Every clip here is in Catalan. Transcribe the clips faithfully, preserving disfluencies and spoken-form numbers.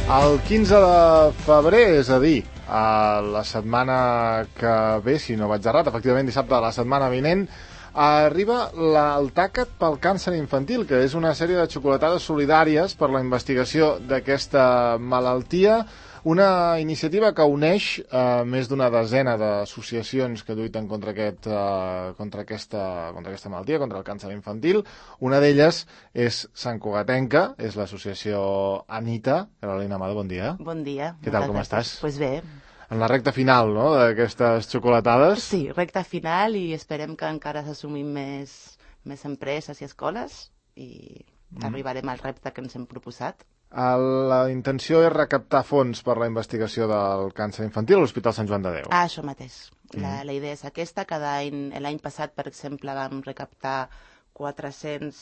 El quinze de febrer, és a dir, a la setmana que ve, si no vaig errat, efectivament dissabte de la setmana vinent, arriba la, el tàquet pel càncer infantil, que és una sèrie de xocolatades solidàries per la investigació d'aquesta malaltia, una iniciativa que uneix eh, més d'una desena d'associacions que lluiten contra, aquest, eh, contra, aquesta, contra aquesta malaltia, contra el càncer infantil. Una d'elles és santcugatenca, és l'associació Anita. Carolina Amado, bon dia. Bon dia. Què tal, com estàs? Doncs pues bé. En la recta final, no?, d'aquestes xocolatades. Sí, recta final, i esperem que encara s'assumin més, més empreses i escoles i mm. arribarem al repte que ens hem proposat. La intenció és recaptar fons per la investigació del càncer infantil a l'Hospital Sant Joan de Déu. Ah, això mateix. Mm. La, la idea és aquesta. Cada any, l'any passat, per exemple, vam recaptar quatre-cents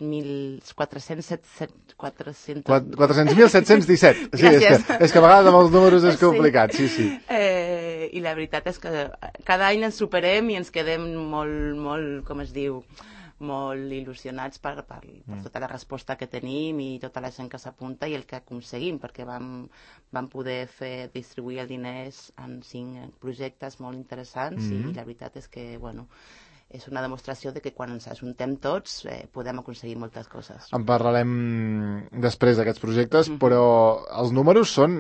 mil set-cents disset. Sí, és que, és que a vegades amb els números és complicat, sí, sí. Eh, I la veritat és que cada any ens superem i ens quedem molt, molt, com es diu, molt il·lusionats per, per, per tota la resposta que tenim i tota la gent que s'apunta i el que aconseguim, perquè vam, vam poder fer distribuir els diners en cinc projectes molt interessants mm-hmm. i la veritat és que, bueno, és una demostració de que quan ens ajuntem tots eh, podem aconseguir moltes coses. En parlarem després d'aquests projectes, mm-hmm. però els números són...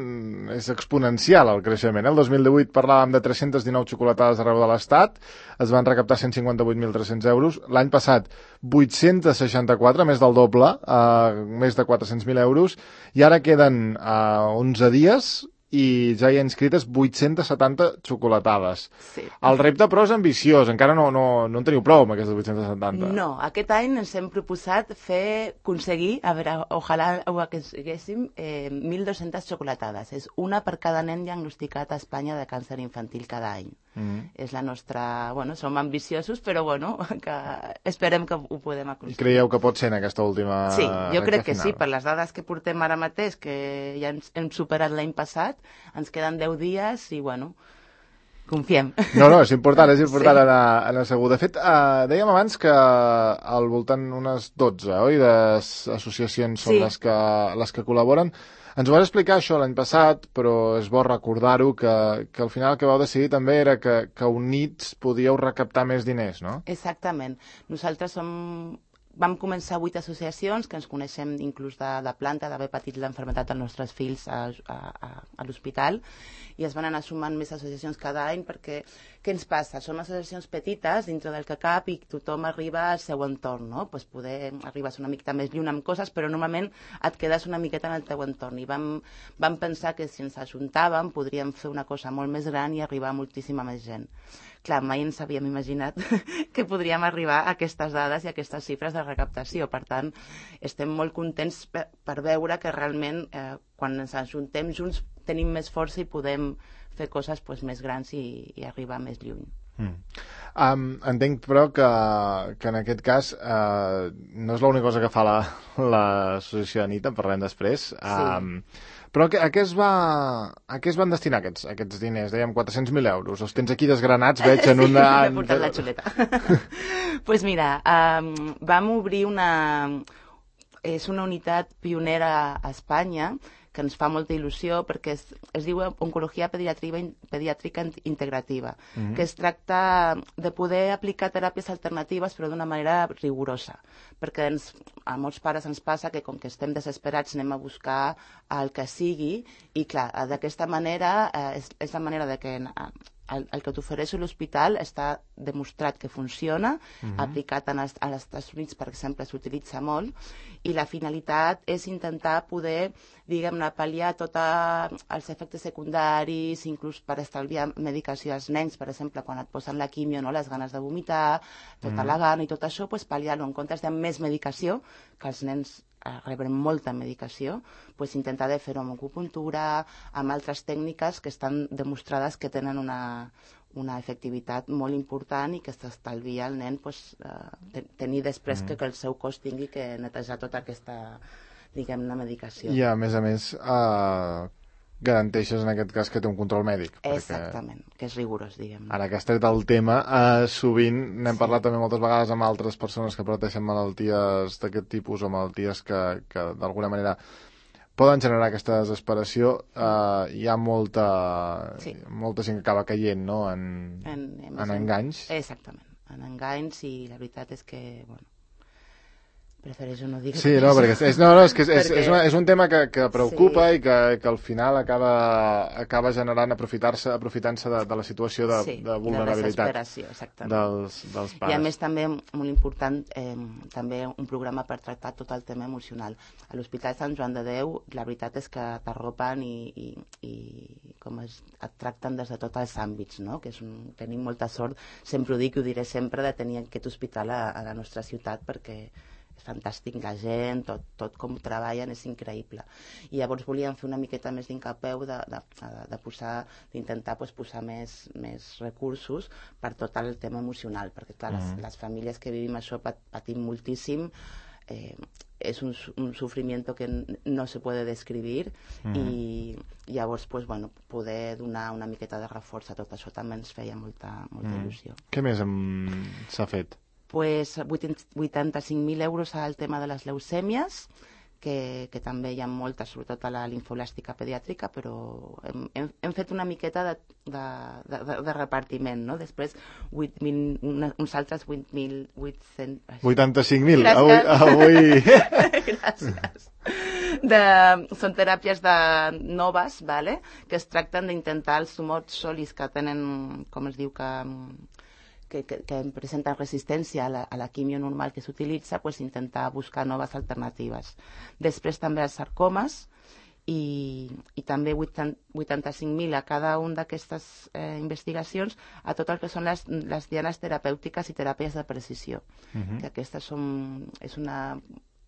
és exponencial el creixement. El dos mil divuit parlàvem de tres-centes dinou xocolatades arreu de l'Estat, es van recaptar cent cinquanta-vuit mil tres-cents euros, l'any passat vuit-cents seixanta-quatre, més del doble, eh, més de quatre-cents mil euros, i ara queden eh, onze dies i ja hi ha inscrites vuit-centes setanta xocolatades. Sí. El repte, però, és ambiciós. Encara no, no, no en teniu prou amb aquestes vuit-centes setanta. No, aquest any ens hem proposat fer, aconseguir, a veure, ojalà ho aconseguéssim, eh, mil dues-centes xocolatades. És una per cada nen diagnosticat a Espanya de càncer infantil cada any. Mm-hmm. És la nostra... Bueno, som ambiciosos, però bueno, que esperem que ho podem aconseguir. I creieu que pot ser en aquesta última... Sí, jo crec que sí, per les dades que portem ara mateix, que ja hem superat l'any passat, ens queden deu dies i, bueno, confiem. No, no, és important, és important sí. anar, anar segur. De fet, eh, dèiem abans que al voltant unes dotze, oi, d'associacions són sí. les, que, les que col·laboren. Ens ho vas explicar això l'any passat, però és bo recordar-ho, que, que al final el que vau decidir també era que, que units podíeu recaptar més diners, no? Exactament. Nosaltres som... Vam començar vuit associacions, que ens coneixem inclús de, de planta, d'haver patit l'enfermetat dels nostres fills a, a, a, a l'hospital, i es van anar sumant més associacions cada any, perquè què ens passa? Són associacions petites dintre del que cap i tothom arriba al seu entorn, no? Pues poder arribar una miqueta més lluny amb coses, però normalment et quedes una miqueta en el teu entorn. I vam, vam pensar que si ens ajuntàvem podríem fer una cosa molt més gran i arribar a moltíssima més gent. Clar, mai ens havíem imaginat que podríem arribar a aquestes dades i a aquestes xifres de recaptació. Per tant, estem molt contents per, per veure que realment eh, quan ens ajuntem junts tenim més força i podem fer coses pues, més grans i, i arribar més lluny. Mm. Um, entenc, però, que, que en aquest cas uh, no és l'única cosa que fa l'associació la, Anita, en parlem després. Um, sí. Però a què, es va, a què es van destinar aquests, aquests diners? Dèiem quatre-cents mil euros. Els tens aquí desgranats, veig, en una... Sí, m'he portat la xuleta. Doncs pues mira, um, vam obrir una... És una unitat pionera a Espanya, que ens fa molta il·lusió, perquè es, es diu Oncologia Pediàtrica, Pediàtrica Integrativa, mm-hmm. que es tracta de poder aplicar teràpies alternatives però d'una manera rigorosa, perquè ens, a molts pares ens passa que com que estem desesperats anem a buscar el que sigui i clar, d'aquesta manera eh, és, és la manera de que el, el que t'ofereix l'hospital està demostrat que funciona, mm-hmm. aplicat en els, als Estats Units, per exemple, s'utilitza molt, i la finalitat és intentar poder, diguem-ne, pal·liar tots els efectes secundaris, inclús per estalviar medicació als nens, per exemple, quan et posen la quimio, no? Les ganes de vomitar, tota mm. la gana i tot això, pues, pal·liar-ho en comptes de més medicació, que els nens reben molta medicació, pues, intentar de fer-ho amb acupuntura, amb altres tècniques que estan demostrades que tenen una, una efectivitat molt important i que s'estalvia al nen pues, eh, tenir després mm. que, que el seu cos tingui que netejar tota aquesta, diguem-ne, medicació. I a més a més, eh, garanteixes en aquest cas que té un control mèdic. Exactament, perquè... que és rigorós, diguem. Ara que has tret el tema, eh, sovint n'hem sí. parlat també moltes vegades amb altres persones que pateixen malalties d'aquest tipus o malalties que, que d'alguna manera poden generar aquesta desesperació. Uh, hi ha molta, sí. molta gent que acaba caient, no?, en, en, en enganys. Exactament, en enganys, i la veritat és que, bueno, prefereixo no dir sí, no, perquè és, no, no, és, que és, perquè... és, una, és un tema que, que preocupa sí. i que, que al final acaba, acaba generant aprofitar-se aprofitant-se de, de la situació de, sí, de vulnerabilitat de dels, dels pares. I a més també, molt important, eh, també un programa per tractar tot el tema emocional. A l'Hospital Sant Joan de Déu la veritat és que t'arropen i, i, i com es, et tracten des de tots els àmbits, no? Que és un, tenim molta sort, sempre ho dic i ho diré sempre, de tenir aquest hospital a, a la nostra ciutat, perquè és fantàstic, la gent, tot, tot com treballen és increïble. I llavors volíem fer una miqueta més d'incapeu de, de, de posar, d'intentar pues, posar més, més recursos per tot el tema emocional, perquè clar, les, les famílies que vivim això pat, patim moltíssim, eh, és un, un sufrimiento que no se puede describir mm. i llavors pues, bueno, poder donar una miqueta de reforç a tot això també ens feia molta, molta mm. il·lusió. Què més s'ha fet? Pues vuitanta-cinc mil euros al tema de les leucèmies, que, que també hi ha moltes, sobretot a la linfolàstica pediàtrica, però hem, hem, hem fet una miqueta de, de, de, de repartiment, no? Després vuit mil, una, uns altres vuit mil vuit-cents... vuitanta-cinc mil, avui... avui... Gràcies. De, són teràpies de noves, vale? Que es tracten d'intentar els tumors solis que tenen, com es diu, que... Que, que, que presenten resistència a la, a la quimio normal que s'utilitza, pues, intentar buscar noves alternatives. Després també els sarcomes i, i també vuitanta-cinc mil a cada una d'aquestes eh, investigacions a tot el que són les, les dianes terapèutiques i teràpies de precisió. Uh-huh. Que aquestes són, és una,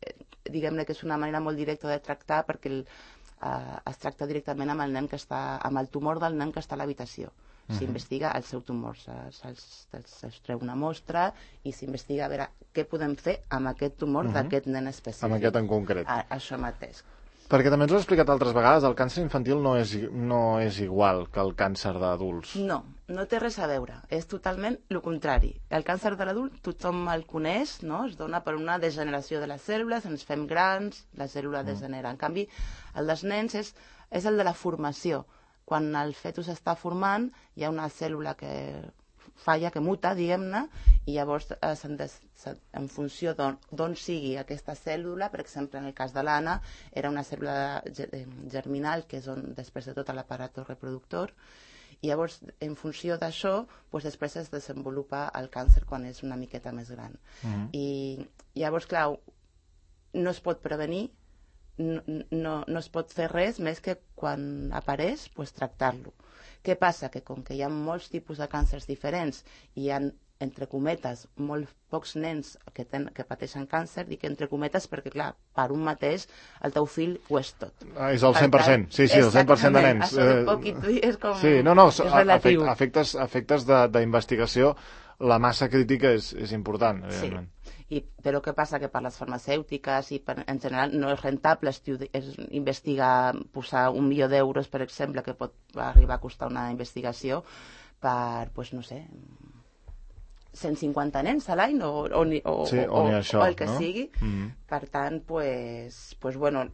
eh, diguem-ne que és una manera molt directa de tractar perquè el, eh, es tracta directament amb el nen que està, amb el tumor del nen que està a l'habitació. S'investiga el seu tumor, se'ls treu una mostra i s'investiga a veure què podem fer amb aquest tumor uh-huh. d'aquest nen específic. Amb aquest en concret. A, això mateix. Perquè també ens ho has explicat altres vegades, el càncer infantil no és, no és igual que el càncer d'adults. No, no té res a veure, és totalment el contrari. El càncer de l'adult tothom el coneix, no? Es dona per una degeneració de les cèl·lules, ens fem grans, la cèl·lula mm. degenera. En canvi, el dels nens és, és el de la formació. Quan el fetus està formant, hi ha una cèl·lula que falla, que muta, diguem-ne, i llavors en funció d'on sigui aquesta cèl·lula, per exemple, en el cas de l'Anna, era una cèl·lula germinal, que és on després de tot l'aparat reproductor, i llavors, en funció d'això, doncs després es desenvolupa el càncer quan és una miqueta més gran. Mm. I llavors, clar, no es pot prevenir, No, no, no es pot fer res més que quan apareix, pues, tractar-lo. Què passa? Que com que hi ha molts tipus de càncers diferents i hi ha, entre cometes, molt pocs nens que, ten, que pateixen càncer, dic entre cometes perquè, clar, per un mateix el teu fill ho és tot. Ah, és el cent per cent, sí, sí, el cent per cent de nens. Això de poc i tu és com... Sí, no, no, és relatiu. Efectes, efectes d'investigació, la massa crítica és, és important, evidentment. Sí. I, però què passa? Que per les farmacèutiques i per, en general no és rentable és investigar, posar un milió d'euros, per exemple, que pot arribar a costar una investigació per, pues, no sé, cent cinquanta nens a l'any o, o, o, sí, o, o, això, o el que no? sigui. Mm-hmm. Per tant, pues, pues, bueno,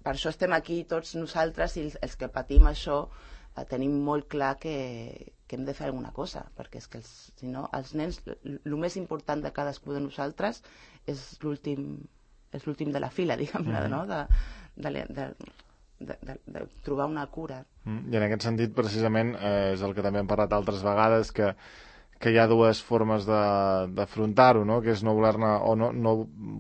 per això estem aquí tots nosaltres i els, els que patim això eh, tenim molt clar que que hem de fer alguna cosa, perquè és que els, si no, els nens, el més important de cadascú de nosaltres és l'últim és l'últim de la fila, diguem-ne, mm. no? de, de, de, de, de, de trobar una cura. Mm. I en aquest sentit, precisament, eh, és el que també hem parlat altres vegades, que que hi ha dues formes d'afrontar-ho, no? Que és no voler-ne o no, no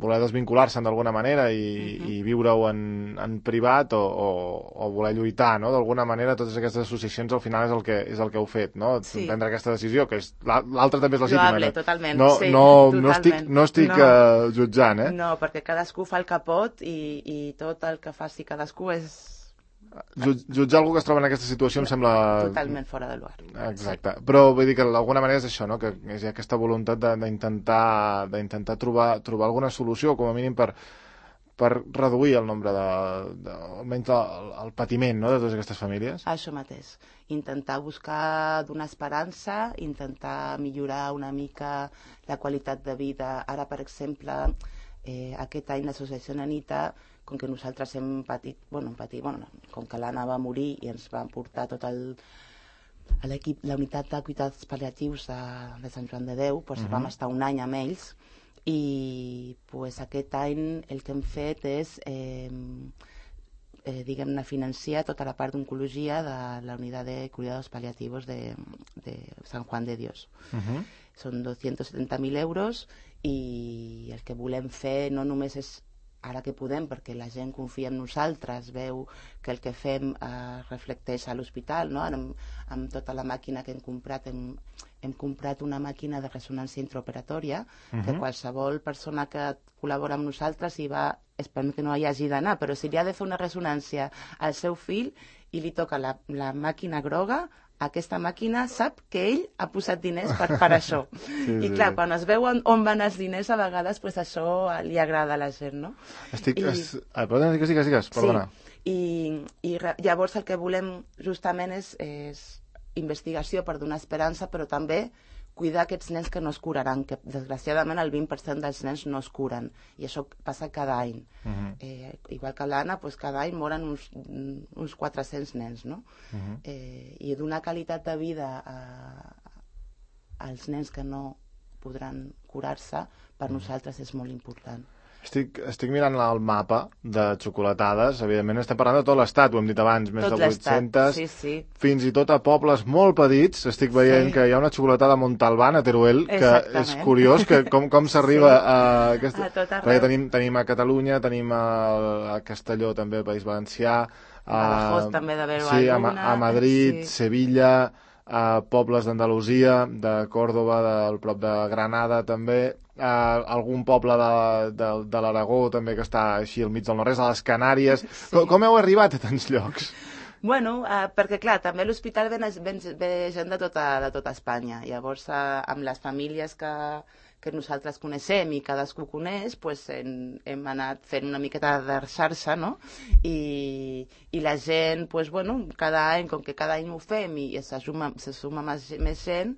voler desvincular-se'n d'alguna manera i, uh-huh. i viure-ho en, en privat o, o, o voler lluitar, no? D'alguna manera totes aquestes associacions al final és el que, és el que heu fet, no? Sí. Prendre aquesta decisió, que és l'altra també és legítima. Loable, totalment, no, sí, no, totalment. No estic, no estic no. Uh, jutjant, eh? No, perquè cadascú fa el que pot i, i tot el que faci cadascú és... Jutjar algú que es troba en aquesta situació em sembla... Totalment fora de lugar. Exacte. Sí. Però vull dir que d'alguna manera és això, no? Que és aquesta voluntat d'intentar d'intentar trobar, trobar alguna solució, com a mínim per, per reduir el nombre de... de almenys el, el patiment, no?, de totes aquestes famílies. Això mateix. Intentar buscar donar esperança, intentar millorar una mica la qualitat de vida. Ara, per exemple, eh, aquest any l'associació Nanita com que nosaltres hem patit, bueno, patit, bueno, com que l'Anna va morir i ens van portar tot el a l'equip, la unitat de cuidats pal·liatius de, de Sant Joan de Déu, doncs uh-huh. vam estar un any amb ells i pues, aquest any el que hem fet és eh, eh, diguem-ne financiar tota la part d'oncologia de la unitat de cuidados paliativos de, de Sant Juan de Dios. Uh-huh. Són dos-cents setanta mil euros i el que volem fer no només és ara que podem, perquè la gent confia en nosaltres, veu que el que fem eh, reflecteix a l'hospital, no? amb, amb tota la màquina que hem comprat, hem, hem comprat una màquina de ressonància intraoperatòria, uh-huh. que qualsevol persona que col·labora amb nosaltres hi va, esperem que no hi hagi d'anar, però si li ha de fer una ressonància al seu fill i li toca la, la màquina groga, aquesta màquina sap que ell ha posat diners per, per això. Sí, I clar, sí. quan es veu on, on van els diners, a vegades pues, això li agrada a la gent, no? Estic... I... Es... Ah, perdona, digues, digues, digues, perdona. Sí, i, i llavors el que volem justament és, és investigació per donar esperança, però també cuidar aquests nens que no es curaran, que desgraciadament el vint per cent dels nens no es curen, i això passa cada any. Uh-huh. eh, igual que l'Anna, pues, cada any moren uns, uns quatre-cents nens, no? Uh-huh. eh, I donar qualitat de vida a, als nens que no podran curar-se, per uh-huh. nosaltres és molt important. Estic, estic mirant el mapa de xocolatades, evidentment estem parlant de tot l'estat, ho hem dit abans, més tot de vuit-centes, sí, sí. fins i tot a pobles molt petits, estic veient sí. que hi ha una xocolatada a Montalbán, a Teruel, que exactament. És curiós que com, com s'arriba sí. a aquesta... A tot arreu. Perquè tenim, tenim a Catalunya, tenim a, a Castelló també, al País Valencià, a Badajoz també d'haver-ho sí, a, alguna, a Madrid, sí. Sevilla, a pobles d'Andalusia, de Còrdoba, del prop de Granada també, a algun poble de, de, de l'Aragó també que està així al mig del nord-est, a les Canàries. Sí. Com, com heu arribat a tants llocs? Bueno, eh, perquè clar, també a l'hospital ve, ve, ve gent de tota, de tota Espanya. Llavors, eh, amb les famílies que, que nosaltres coneixem i cadascú coneix, pues, hem, hem anat fent una miqueta de xarxa, no? I, i la gent, pues, bueno, cada any, com que cada any ho fem i se suma, se suma més, més gent,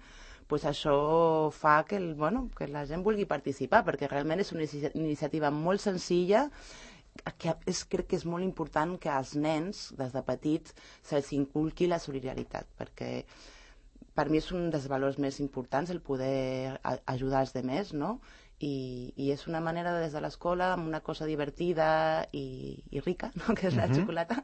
pues això fa que, el, bueno, que la gent vulgui participar, perquè realment és una iniciativa molt senzilla, que és, crec que és molt important que als nens, des de petits, se'ls inculqui la solidaritat, perquè per mi és un dels valors més importants el poder ajudar els demés, no? I, i és una manera de, des de l'escola, amb una cosa divertida i, i rica, no? que és la uh-huh. xocolata,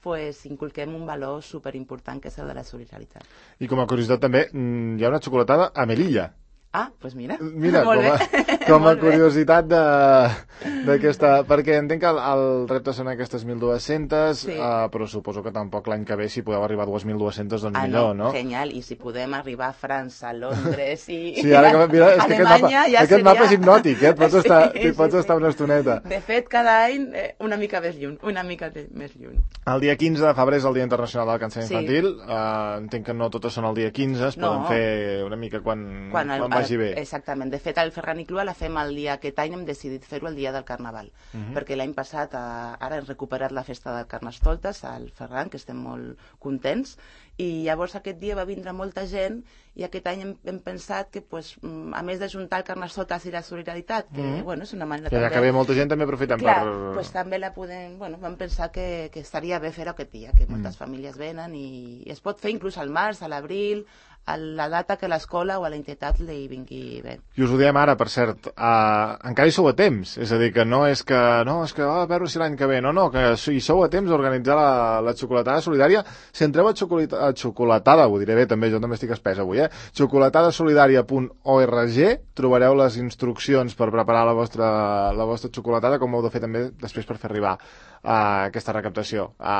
pues inculquem un valor superimportant que és el de la solidaritat. I com a curiositat també, hi ha una xocolatada a Melilla. Ah, doncs pues mira, mira molt com a, bé. Com a curiositat d'aquesta... Perquè entenc que el, el repte són aquestes mil dues-centes, sí. uh, però suposo que tampoc l'any que ve, si podeu arribar a dues mil dues-centes, doncs ah, millor, no? no? Genial, i si podem arribar a França, a Londres i sí, ara que, mira, és que Alemanya, aquest mapa, ja aquest seria... mapa és hipnòtic, eh? Pots, sí, estar, sí, pots sí. estar una estoneta. De fet, cada any eh, una mica més lluny, una mica més lluny. El dia quinze de febrer és el Dia Internacional del Càncer sí. Infantil. Uh, entenc que no totes són el dia quinze, es no. poden fer una mica quan, quan, el, quan vagi bé. Exactament. De fet, el Ferran i Clua la fem el dia, aquest any hem decidit fer-ho el dia del Carnaval, uh-huh. perquè l'any passat, eh, ara hem recuperat la festa del Carnestoltes al Ferran, que estem molt contents, i llavors aquest dia va vindre molta gent i aquest any hem, hem pensat que, pues, a més de juntar el Carnestoltes i la solidaritat, que, mm. bueno, és una manera que també... Ja que ve molta gent també aprofitem Clar, per... pues també la podem... Bueno, vam pensar que, que estaria bé fer-ho aquest dia, que moltes mm. famílies venen i es pot fer inclús al març, a l'abril, a la data que l'escola o a la entitat li vingui bé. I us ho diem ara, per cert, uh, encara hi sou a temps, és a dir, que no és que, no, és que, oh, a veure si l'any que ve, no, no, que hi sou a temps d'organitzar la, la xocolatada solidària. Si entreu a, xocolata, a xocolatada, ho diré bé també, jo també estic espès avui, eh, xocolatadasolidària punt org, trobareu les instruccions per preparar la vostra, la vostra xocolatada, com heu de fer també després per fer arribar a aquesta recaptació, a,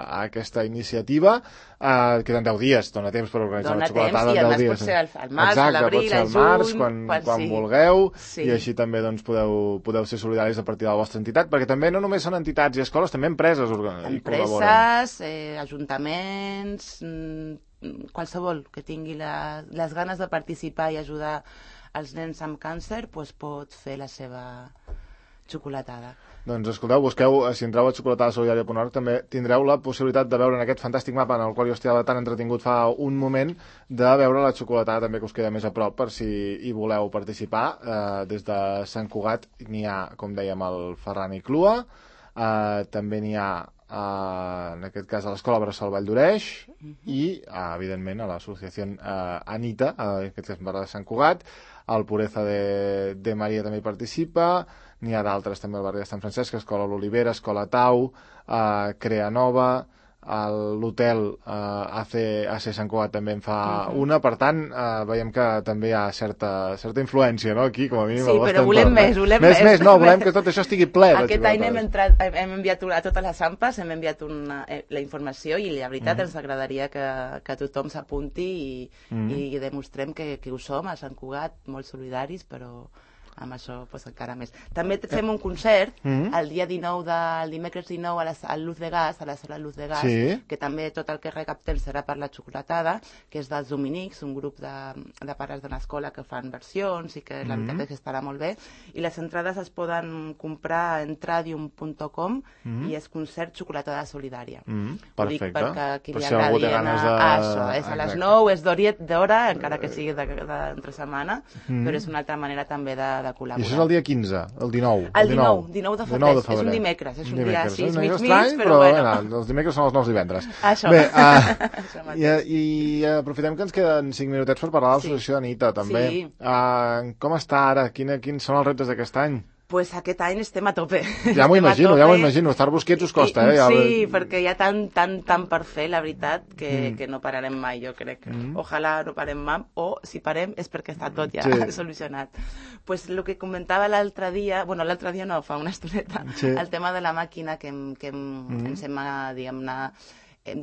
a aquesta iniciativa. Uh, queden deu dies, dona temps per organitzar dona una xocolatada temps, en deu dies. Pot ser al, al març, exacte, a l'abril, al març, quan, quan, quan sí. vulgueu, sí. i així també doncs, podeu, podeu ser solidaris a partir de la vostra entitat, perquè també no només són entitats i escoles, també empreses hi col·laboren. Empreses, eh, ajuntaments, mmm, qualsevol que tingui la, les ganes de participar i ajudar els nens amb càncer, pues, pot fer la seva xocolatada. Doncs escolteu, busqueu, si entreu a xocolatadasolidària punt org també tindreu la possibilitat de veure en aquest fantàstic mapa en el qual jo estava tan entretingut fa un moment, de veure la xocolatada també que us queda més a prop per si hi voleu participar. Eh, des de Sant Cugat n'hi ha, com dèiem, el Ferran i Clua, Uh, també n'hi ha, uh, en aquest cas, a l'Escola Bressol Vall d'Oreix uh-huh. i, uh, evidentment, a l'associació uh, Anita, uh, en aquest cas, en barri de Sant Cugat, el Pureza de, de Maria també hi participa, n'hi ha d'altres també al barri de Sant Francesc, Escola l'Olivera, Escola Tau, uh, Crea Nova, l'hotel uh, A C Sant Cugat també en fa uh-huh. una, per tant uh, veiem que també hi ha certa, certa influència, no?, aquí, com a mínim. Sí, però volem entorn, més, eh? volem més. Més, més, no, volem que tot això estigui ple. Aquest any hem, entrat, hem enviat a totes les AMPAs, hem enviat una, la informació i la veritat uh-huh. ens agradaria que, que tothom s'apunti i, uh-huh. i demostrem que, que ho som a Sant Cugat, molt solidaris, però amb això pues, encara més. També fem un concert mm-hmm. el dia dinou, de, el dimecres dinou a la, al Luz de Gas, a la sala Luz de Gas, sí. que també tot el que recaptem serà per la xocolatada, que és dels Dominics, un grup de, de pares de l'escola que fan versions i que la mm-hmm. veritat és que estarà molt bé. I les entrades es poden comprar a entradium punt com mm-hmm. i és concert xocolatada solidària. Mm-hmm. Perfecte. Ho dic perquè qui per li si agradi de... anar a això. És a les nou, és d'hora, encara que sigui d'entre setmana, mm-hmm. però és una altra manera també de i això és el dia quinze, el dinou. El dinou, dinou de febrer, de febrer. És un dimecres, és un dimecres. dia així, mig mig, estrany, però, però bueno. bueno. Els dimecres són els nous divendres. Això. Bé, uh, i, i aprofitem que ens queden cinc minutets per parlar de l'associació sí. Anita, també. Sí. Uh, com està ara? Quina, quins són els reptes d'aquest any? Pues aquest any estem a tope. Ja m'ho imagino, ja m'ho imagino. Estar busquets us costa, eh? Ja... Sí, perquè hi ha tant, tant, tant per fer, la veritat, que, mm. que no pararem mai, jo crec. Mm. Ojalà no parem mai, o si parem és perquè està tot ja sí. solucionat. Pues el que comentava l'altre dia, bueno, l'altre dia no, fa una estoneta, sí. el tema de la màquina que, que mm. ens hem, diguem-ne,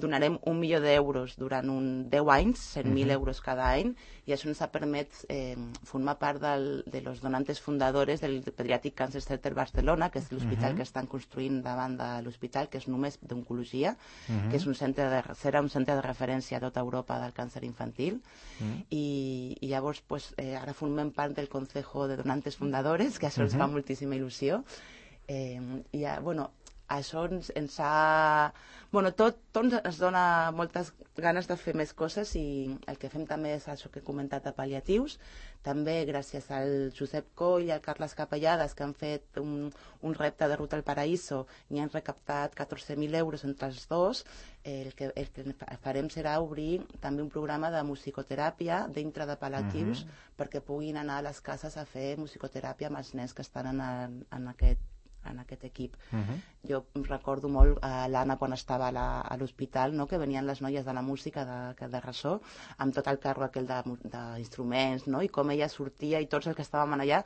donarem un milió d'euros durant un deu anys, cent mil uh-huh. euros cada any, i això ens ha permès eh, formar part del, de los donantes fundadores del Pediatric Cancer Center Barcelona, que és l'hospital uh-huh. que estan construint davant de l'hospital, que és només d'oncologia, uh-huh. que és un centre de, serà un centre de referència a tota Europa del càncer infantil, uh-huh. i, i llavors pues, eh, ara formem part del Consejo de Donantes Fundadores, que això uh-huh. ens fa moltíssima il·lusió, eh, i ja, bueno, això ens, ens ha... Bueno, tot, tot ens dona moltes ganes de fer més coses i el que fem també és això que he comentat de pal·liatius. També gràcies al Josep Coll i al Carles Capellades, que han fet un, un repte de Ruta al Paraíso i han recaptat catorze mil euros entre els dos, el que, el que farem serà obrir també un programa de musicoteràpia dintre de pal·liatius uh-huh. perquè puguin anar a les cases a fer musicoteràpia amb els nens que estan en, el, en aquest en aquest equip. Uh-huh. Jo recordo molt a uh, l'Anna quan estava a l'hospital, no? que venien les noies de la música de, de ressò, amb tot el carro aquell d'instruments, no? i com ella sortia i tots els que estàvem allà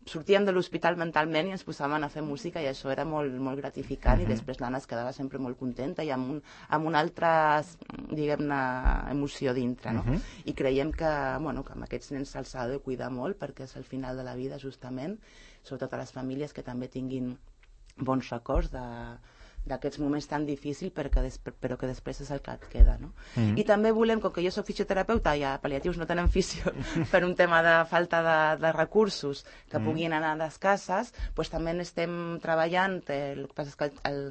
sortíem de l'hospital mentalment i ens posàvem a fer música i això era molt, molt gratificant uh-huh. i després l'Anna es quedava sempre molt contenta i amb, un, amb una altra, diguem-ne, emoció dintre, no? Uh-huh. I creiem que, bueno, que amb aquests nens se'ls ha de cuidar molt perquè és el final de la vida, justament, sobretot a les famílies que també tinguin bons records de, d'aquests moments tan difícils però que, després, però que després és el que et queda, no? Mm. I també volem, com que jo soc fisioterapeuta i a pal·liatius no tenen fisio per un tema de falta de, de recursos que mm. puguin anar a les cases, doncs també estem treballant, el que passa és que el,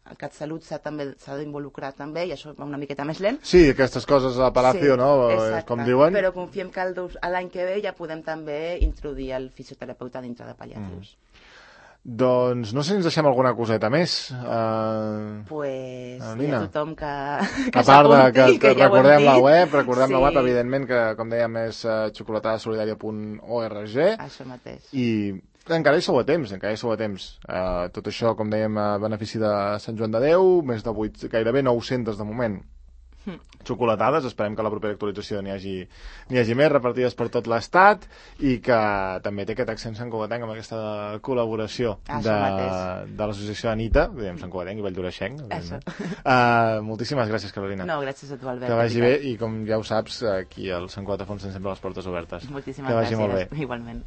el CatSalut s'ha també s'ha d'involucrar també i això va una miqueta més lent. Sí, aquestes coses a Palacio, sí, no? Exacte. Com diuen. Però confiem que l'any que ve ja podem també introduir el fisioterapeuta dintre de pal·liatius. Mm. Doncs no sé si ens deixem alguna coseta més. Uh... Pues hi ha tothom que, que a part de que, que, que ja recordem la web, recordem sí. la web, evidentment, que com dèiem és uh, xocolatada solidària punt org. Això mateix. I encara hi sou a temps, encara hi sou a temps. Uh, tot això, com dèiem, a benefici de Sant Joan de Déu, més de vuit, gairebé nou-centes de moment. Xocolatades, esperem que a la propera actualització n'hi hagi, n'hi hagi més repartides per tot l'Estat i que també té aquest accent santcugatenc amb aquesta col·laboració de, de l'associació Anita, diguem santcugatenc i valldoreixenc. Uh, moltíssimes gràcies, Carolina. No, gràcies a tu, Albert. Que vagi bé i com ja ho saps, aquí al Sant Cugat Afonso sempre les portes obertes. Moltíssimes gràcies. Molt bé. Igualment.